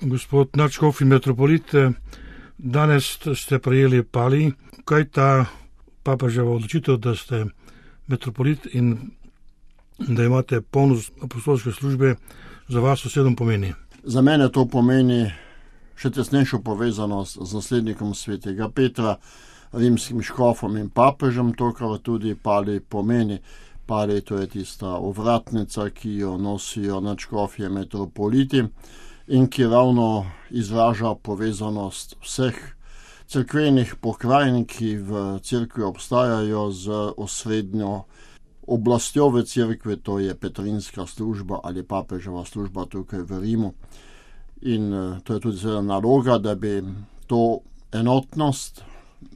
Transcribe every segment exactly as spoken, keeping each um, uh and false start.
Gospod nadškof in metropolit, danes ste prejeli pali. Kaj ta papeževa odločitev, da ste metropolit in da imate polnost apostolske službe, za vas osebno pomeni? Za mene to pomeni še tesnejšo povezanost z naslednikom svetega Petra, rimskim škofom in papežem, to, kar tudi pali pomeni. Pali, to je tista ovratnica, ki jo nosijo nadškofje metropoliti in ki ravno izraža povezanost vseh cerkvenih pokrajin, ki v cerkvi obstajajo, z osrednjo oblastjo v cerkvi, to je petrinska služba ali papeževa služba tukaj v Rimu. In to je tudi seveda naloga, da bi to enotnost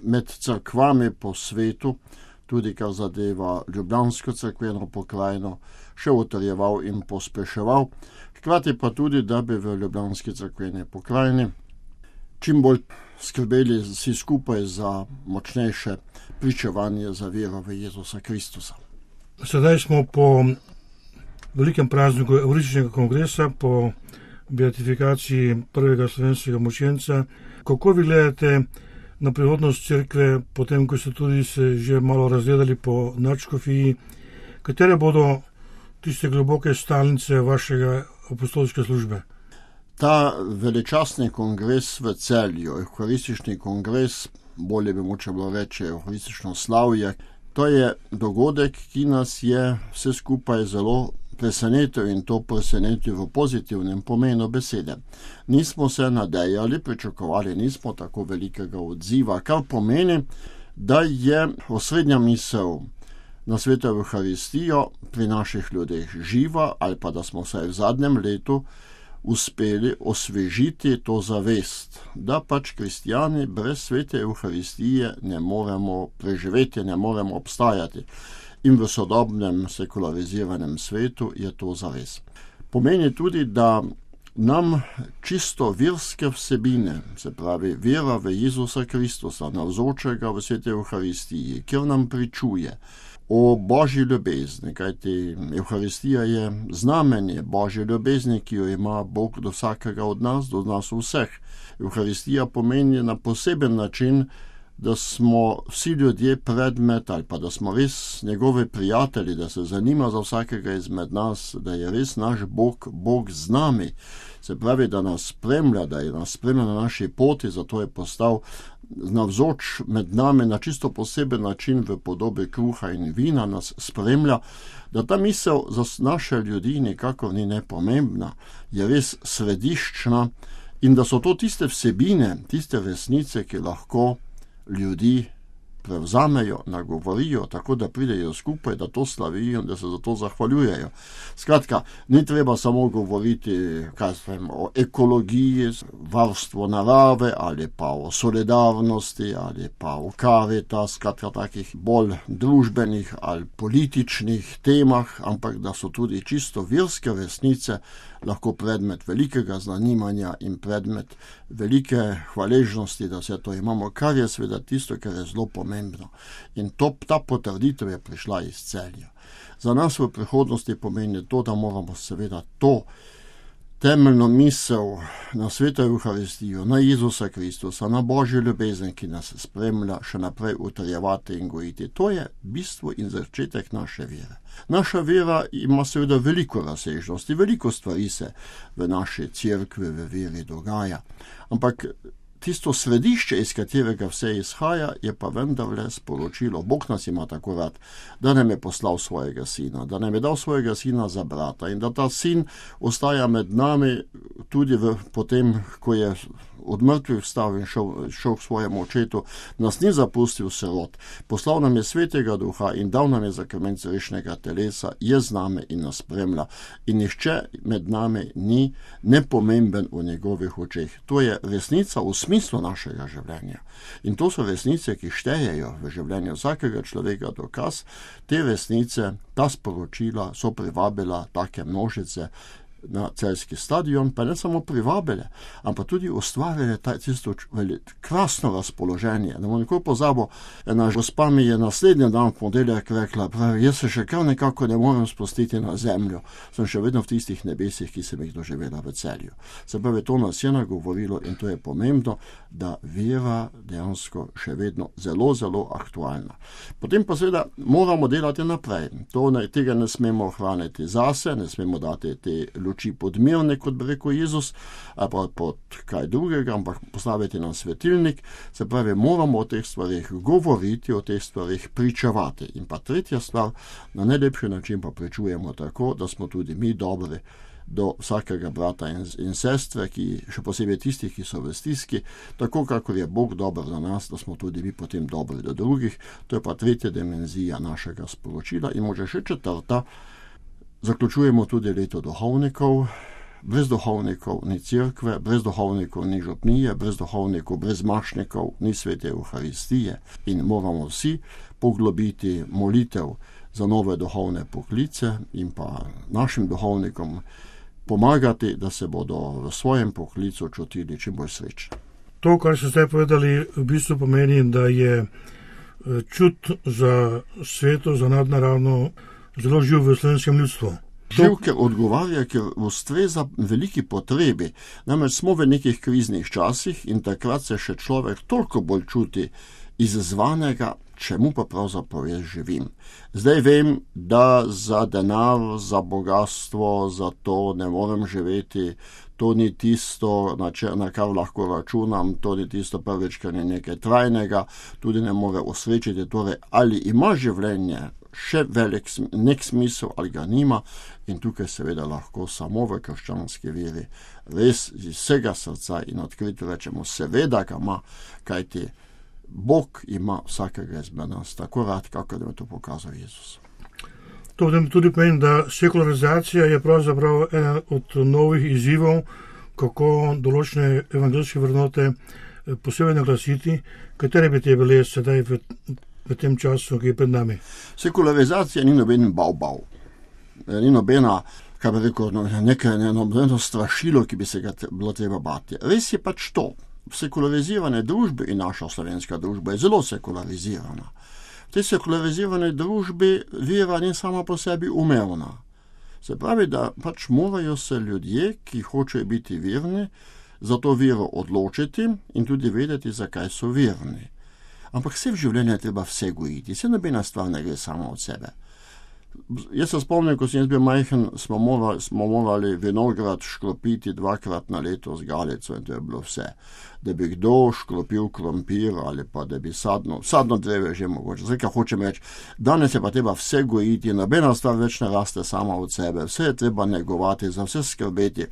med cerkvami po svetu, tudi kar zadeva ljubljansko cerkveno pokrajino, še utrjeval in pospeševal. Hkrati pa tudi, da bi v ljubljanski cerkveni pokrajini čim bolj skrbeli vsi skupaj za močnejše pričevanje za vero v Jezusa Kristusa. Sedaj smo po velikem prazniku Evharističnega kongresa, po beatifikaciji prvega slovenskega mučenca. Kako vi gledate na prihodnost cerkve, potem ko ste tudi se že malo razgledali po nadškofiji? Katere bodo tiste globoke stalnice vašega apostolske službe? Ta veličastni kongres v Celju, Evharistični kongres, bolje bi moče bilo reči Evharistično slavje, to je dogodek, ki nas je vse skupaj zelo presenetil, in to presenetil v pozitivnem pomenu besede. Nismo se nadejali, pričakovali nismo tako velikega odziva, kar pomeni, da je osrednja misel na sveto Evharistijo pri naših ljudeh živa, ali pa da smo vsaj v zadnjem letu uspeli osvežiti to zavest, da pač kristijani brez svete Evharistije ne moremo preživeti, ne moremo obstajati. In v sodobnem sekulariziranem svetu je to zares. Pomeni tudi, da nam čisto verske vsebine, se pravi vera v Jezusa Kristusa, navzočega v sveti Evharistiji, kjer nam pričuje o Božji ljubezni, kajti Evharistija je znamenje Božje ljubezni, ki jo ima Bog do vsakega od nas, do nas vseh. Evharistija pomeni na poseben način, da smo vsi ljudje predmet, ali pa da smo res njegovi prijatelji, da se zanima za vsakega izmed nas, da je res naš Bog, Bog z nami. Se pravi, da nas spremlja, da je nas spremlja na naši poti, zato je postal navzoč med nami na čisto poseben način v podobi kruha in vina, nas spremlja, da ta misel za naše ljudi nikakor ni nepomembna, je res središčna, in da so to tiste vsebine, tiste resnice, ki lahko ljudi prevzamejo, nagovorijo, tako da pridejo skupaj, da to slavijo in da se za to zahvaljujejo. Skratka, ni treba samo govoriti kaj vem, o ekologiji, varstvu narave, ali pa o solidarnosti, ali pa o Caritas, skratka takih bolj družbenih ali političnih temah, ampak da so tudi čisto verske resnice lahko predmet velikega zanimanja in predmet velike hvaležnosti, da vse to imamo, kar je seveda tisto, kar je zelo pomembno. In to, ta potrditev je prišla iz Celja. Za nas v prihodnosti pomeni to, da moramo seveda to temeljno misel na sveto Evharistijo, na Jezusa Kristusa, na Božjo ljubezen, ki nas spremlja, še naprej utrjevati in gojiti. To je bistvo in začetek naše vere. Naša vera ima seveda veliko razsežnosti, veliko stvari se v naši cerkvi, v veri dogaja. Ampak tisto središče, iz katerega vse izhaja, je pa vendarle sporočilo. Bog nas ima tako rad, da nam je poslal svojega sina, da nam je dal svojega sina za brata in da ta sin ostaja med nami tudi v, potem, ko je od mrtvih vstal in šel, šel k svojemu očetu, nas ni zapustil sirot. Poslal nam je svetega duha in dal nam je zakrament vešnega telesa, je z nami in nas spremlja. In nihče med nami ni nepomemben v njegovih očeh. To je resnica v smislu našega življenja. In to so resnice, ki štejejo v življenju vsakega človeka. Dokaz te resnice, ta sporočila so privabila take množice na celjski stadion, pa ne samo privabile, ampak tudi ustvarjale tisto krasno razpoloženje. Ne bom nikoli pozabil, ena gospa mi je naslednji dan v ponedeljek rekla, pravi, jaz se še kar nekako ne morem spustiti na zemljo, sem še vedno v tistih nebesih, ki sem jih doživela v Celju. Se pravi, to nas je nagovorilo in to je pomembno, da vera dejansko še vedno zelo, zelo aktualna. Potem pa seveda moramo delati naprej. To ne, tega ne smemo ohraniti zase, ne smemo dati te luči podmirne, kot bi rekel Jezus, ali pa pod kaj drugega, ampak postaviti na svetilnik. Se pravi, moramo o teh stvarih govoriti, o teh stvarih pričevati. In pa tretja stvar, na najlepši način pa pričujemo tako, da smo tudi mi dobri do vsakega brata in, in sestre, ki, še posebej tistih, ki so v stiski, tako kakor je Bog dober za nas, da smo tudi mi potem dobri do drugih. To je pa tretja dimenzija našega sporočila in može še četrta. Zaključujemo tudi leto duhovnikov. Brez duhovnikov ni cerkve, brez duhovnikov ni župnije, brez duhovnikov, brez mašnikov ni svete Euharistije in moramo vsi poglobiti molitev za nove duhovne poklice in pa našim duhovnikom pomagati, da se bodo v svojem poklicu čutili čim bolj srečni. To, kar ste zdaj povedali, v bistvu pomeni, da je čut za sveto, za nadnaravno zelo živ v slovenskem ljudstvu. Živ, ker odgovarja, ker ustreza veliki potrebi. Namreč smo v nekih kriznih časih in takrat se še človek toliko bolj čuti izzvanega, čemu pa pravzaprav jaz živim. Zdaj vem, da za denar, za bogatstvo, za to ne morem živeti, to ni tisto, na, če, na kar lahko računam, to ni tisto prvič, kar je nekaj trajnega, tudi ne more osrečiti, torej ali ima življenje še velik nek smisel ali ga nima in tukaj seveda lahko samo v krščanski veri res iz vsega srca in odkrito rečemo, seveda ga ima, kajti Bog ima vsakega izmed nas tako rad, kako da je to pokazal Jezus. To tudi pomeni, da sekularizacija je pravzaprav ena od novih izzivov, kako določene evangeljske vrednote posebej naglasiti, katere bi te bile sedaj v, v tem času, ki je pred nami. Sekularizacija ni noben bav-bav, ni nobena, kaj bi rekel, nekaj nobeno strašilo, ki bi se ga bilo treba bati. Res je pač to. Sekularizirane družbe in naša slovenska družba je zelo sekularizirana. V tej sekularizirane družbi vera ni sama po sebi umevna. Se pravi, da pač morajo se ljudje, ki hočejo biti verni, za to vero odločiti in tudi vedeti, zakaj so verni. Ampak vse v življenju je treba vse gojiti, vse nobena stvar ne gre samo od sebe. Jaz se spomnim, ko sem jaz bil majhen, smo morali, smo morali vinograd škropiti dvakrat na leto z galico in to je bilo vse. Da bi kdo škropil krompir ali pa da bi sadno, sadno dreve že mogoče. Zdaj, kaj hočem reči, danes je pa treba vse gojiti, nobena stvar več ne raste sama od sebe, vse je treba negovati, za vse skrbeti.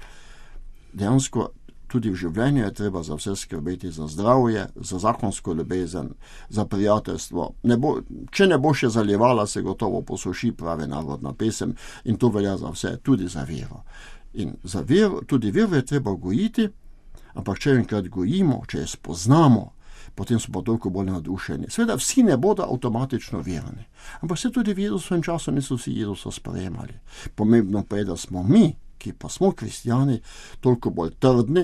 Dejansko tudi v življenju je treba za vse skrbeti, za zdravje, za zakonsko ljubezen, za prijateljstvo. Ne bo, če ne bo še zaljevala, se gotovo posuši, pravi narodna pesem in to velja za vse, tudi za vero. In za vero, tudi vero je treba gojiti, ampak če enkrat gojimo, če je spoznamo, potem smo pa toliko bolj nadušeni. Seveda vsi ne bodo avtomatično verni, ampak se tudi v Jezusovem času niso vsi Jezusa sprejemali. Pomembno pa je, da smo mi, ki pa smo kristjani, toliko bolj trdni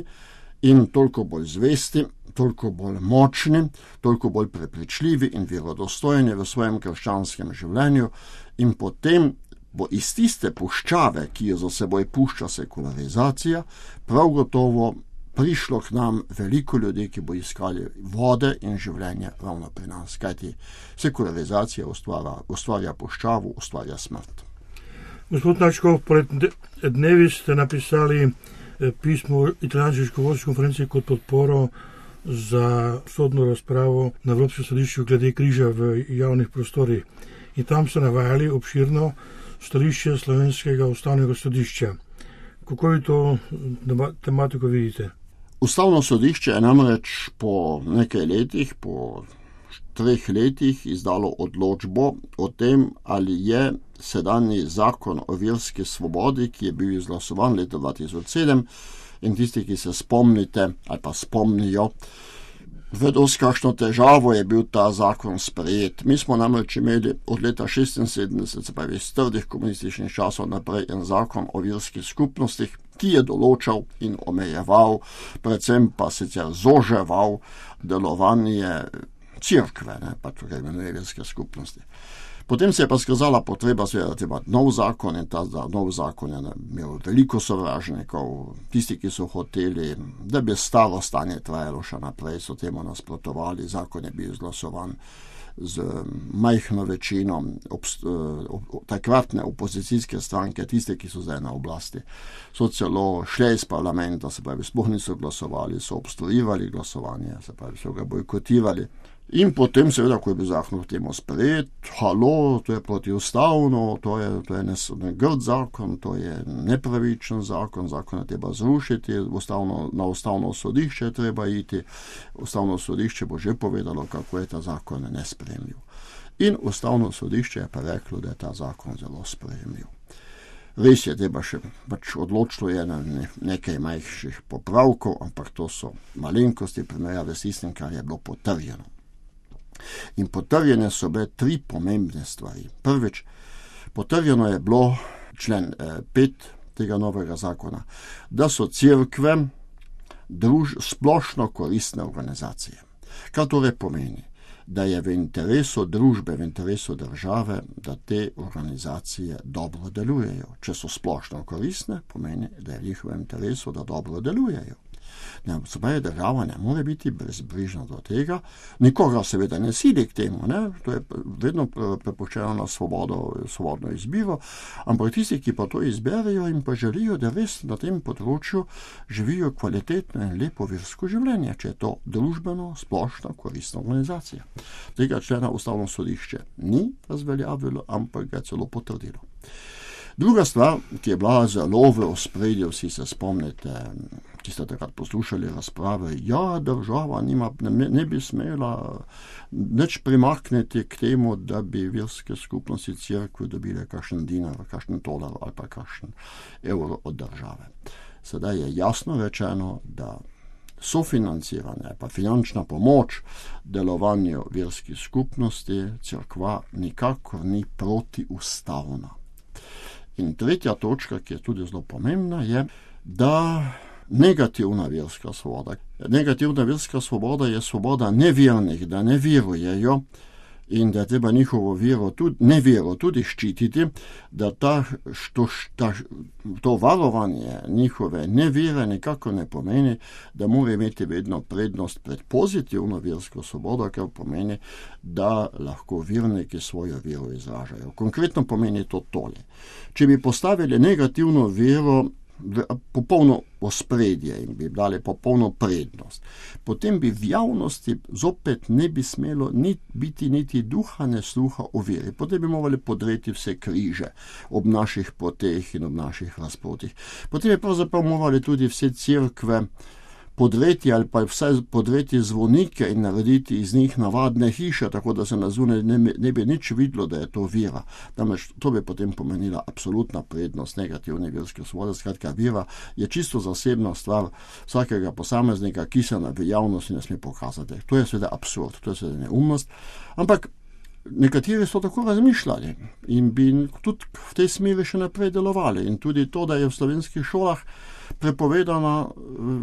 in toliko bolj zvesti, toliko bolj močni, toliko bolj prepričljivi in verodostojni v svojem krščanskem življenju in potem bo iz tiste puščave, ki jo za seboj pušča sekularizacija, prav gotovo prišlo k nam veliko ljudi, ki bo iskali vode in življenje ravno pri nas, kajti sekularizacija ustvarja, ustvarja puščavo, ustvarja smrt. Gospod Načkov, pred dnevi ste napisali pismo italijanski školovski konferenci kot podporo za sodno razpravo na Evropskem sodišču glede križa v javnih prostorih. In tam ste navajali obširno stališče slovenskega ustavnega sodišča. Kako vi to tematiko vidite? Ustavno sodišče je namreč po nekaj letih, po treh letih izdalo odločbo o tem, ali je sedanji zakon o verski svobodi, ki je bil izglasovan leta dva tisoč sedem in tisti, ki se spomnite ali pa spomnijo, vedo, s kakšno težavo je bil ta zakon sprejet. Mi smo namreč imeli od leta šestinsedemdeset, se pravi iz trdih komunističnih časov naprej, en zakon o verskih skupnostih, ki je določal in omejeval, predvsem pa sicer zoževal delovanje cerkve, ne, pa tukaj imenuje verske skupnosti. Potem se je pa skazala potreba, seveda, da ima nov zakon in ta nov zakon je imel veliko sovražnikov, tisti, ki so hoteli, da bi staro stanje trajalo še naprej, so temu nasprotovali, zakon je bil izglasovan z majhno večino obst, takratne opozicijske stranke, tiste, ki so zdaj na oblasti, so celo šle iz parlamenta, se pravi, sploh niso glasovali, so obstruirali glasovanje, se pravi, so ga bojkotirali. In potem, seveda, ko je bil zakon v temu sprejet, halo, to je protiustavno, to je, to je negrd zakon, to je nepravičen zakon, zakon je treba zrušiti, ustavno, na ustavno sodišče je treba iti, ustavno sodišče bo že povedalo, kako je ta zakon nesprejemljiv. In ustavno sodišče je pa reklo, da je ta zakon zelo sprejemljiv. Res je, treba še pač odločilo je na nekaj majhnih popravkov, ampak to so malenkosti primerjave s tistim, kar je bilo potrjeno. In potrjene so bile tri pomembne stvari. Prvič, potrjeno je bilo člen eh, pet tega novega zakona, da so cerkve druž, splošno koristne organizacije. Kar torej pomeni, da je v interesu družbe, v interesu države, da te organizacije dobro delujejo. Če so splošno koristne, pomeni, da je v njihovem interesu, da dobro delujejo. Ne, pravi, država ne more biti brezbrižna do tega, nikoga seveda ne sili k temu, ne? To je vedno prepuščeno na svobodo, svobodno izbiro, ampak tisti, ki pa to izberejo in pa želijo, da res na tem področju živijo kvalitetno in lepo versko življenje, če je to družbeno, splošno koristna organizacija. Tega člena ustavno sodišče ni razveljavilo, ampak ga celo potrdilo. Druga stvar, ki je bila zelo v ospredju, vsi se spomnite, ki ste takrat poslušali razprave, ja, država nima, ne, ne bi smela nič primakniti k temu, da bi verske skupnosti cerkve dobile kakšen dinar, kakšen tolar ali pa kakšen evro od države. Sedaj je jasno rečeno, da sofinanciranje, pa finančna pomoč delovanju verskih skupnosti cerkva nikakor ni protiustavna. In tretja točka, ki je tudi zelo pomembna, je, da negativna verska svoboda. Negativna verska svoboda je svoboda nevernih, da ne verujejo in da je treba njihovo vero tudi, nevero tudi ščititi, da ta, što, ta, to varovanje njihove nevere nekako ne pomeni, da mora imeti vedno prednost pred pozitivno versko svobodo, kar pomeni, da lahko verniki svojo vero izražajo. Konkretno pomeni to tole. Če bi postavili negativno vero v popolno ospredje in bi dali popolno prednost, potem bi v javnosti zopet ne bi smelo ni, biti niti duha ne sluha o veri. Potem bi morali podreti vse križe ob naših poteh in ob naših razpotih. Potem bi pravzaprav morali tudi vse cerkve podreti ali pa vsaj podreti zvonike in narediti iz njih navadne hiše, tako da se na zunaj ne, ne bi nič videlo, da je to vera. Namreč to bi potem pomenila absolutna prednost negativne verske svobode. Skratka, vera je čisto zasebna stvar vsakega posameznika, ki se v javnosti ne sme pokazati. To je seveda absurd, to je seveda neumnost, ampak nekateri so tako razmišljali in bi tudi v tej smeri še naprej delovali. In tudi to, da je v slovenskih šolah prepovedana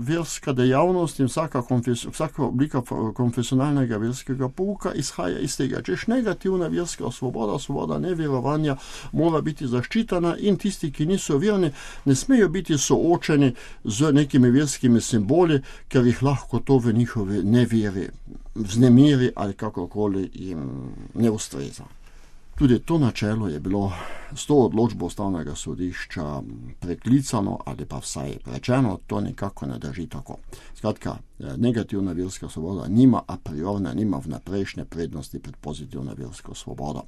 verska dejavnost in vsaka, konfes, vsaka oblika konfesionalnega verskega pouka izhaja iz tega. Češ negativna verska svoboda, svoboda neverovanja mora biti zaščitena in tisti, ki niso verni, ne smejo biti soočeni z nekimi verskimi simboli, ker jih lahko to v njihove neveri vznemiri ali kakorkoli jim ne ustreza. Tudi to načelo je bilo s to odločbo ustavnega sodišča preklicano ali pa vsaj rečeno, to nikako ne drži tako. Skratka, negativna verska svoboda nima a priorne, nima vnaprejšnje prednosti pred pozitivno versko svobodo.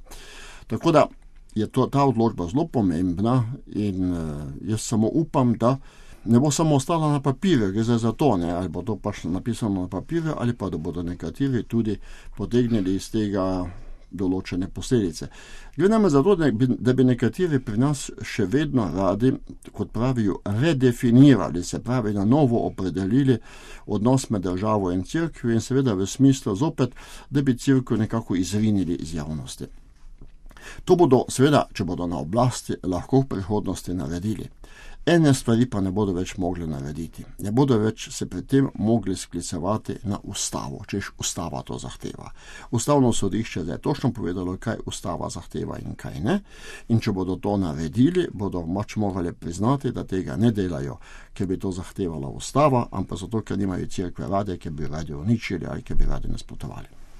Tako da je to, ta odločba zelo pomembna in jaz samo upam, da ne bo samo ostala na papirju, gre za to, ne, ali bo to pač napisano na papirju, ali pa da bodo nekateri tudi potegnili iz tega določene posledice. Gre nam za to, da bi nekateri pri nas še vedno radi, kot pravijo, redefinirali, se pravi, na novo opredelili odnos med državo in cerkvijo in seveda v smislu zopet, da bi cerkev nekako izrinili iz javnosti. To bodo seveda, če bodo na oblasti, lahko v prihodnosti naredili. ene stvari pa ne bodo več mogli narediti. Ne bodo več se pri tem mogli sklicevati na ustavo, češ ustava to zahteva. Ustavno sodišče je točno povedalo, kaj ustava zahteva in kaj ne. In če bodo to naredili, bodo moč morali priznati, da tega ne delajo, ker bi to zahtevala ustava, ampak zato, ker nimajo cerkve rade, ker bi radi uničili ali ker bi radi nasprotovali.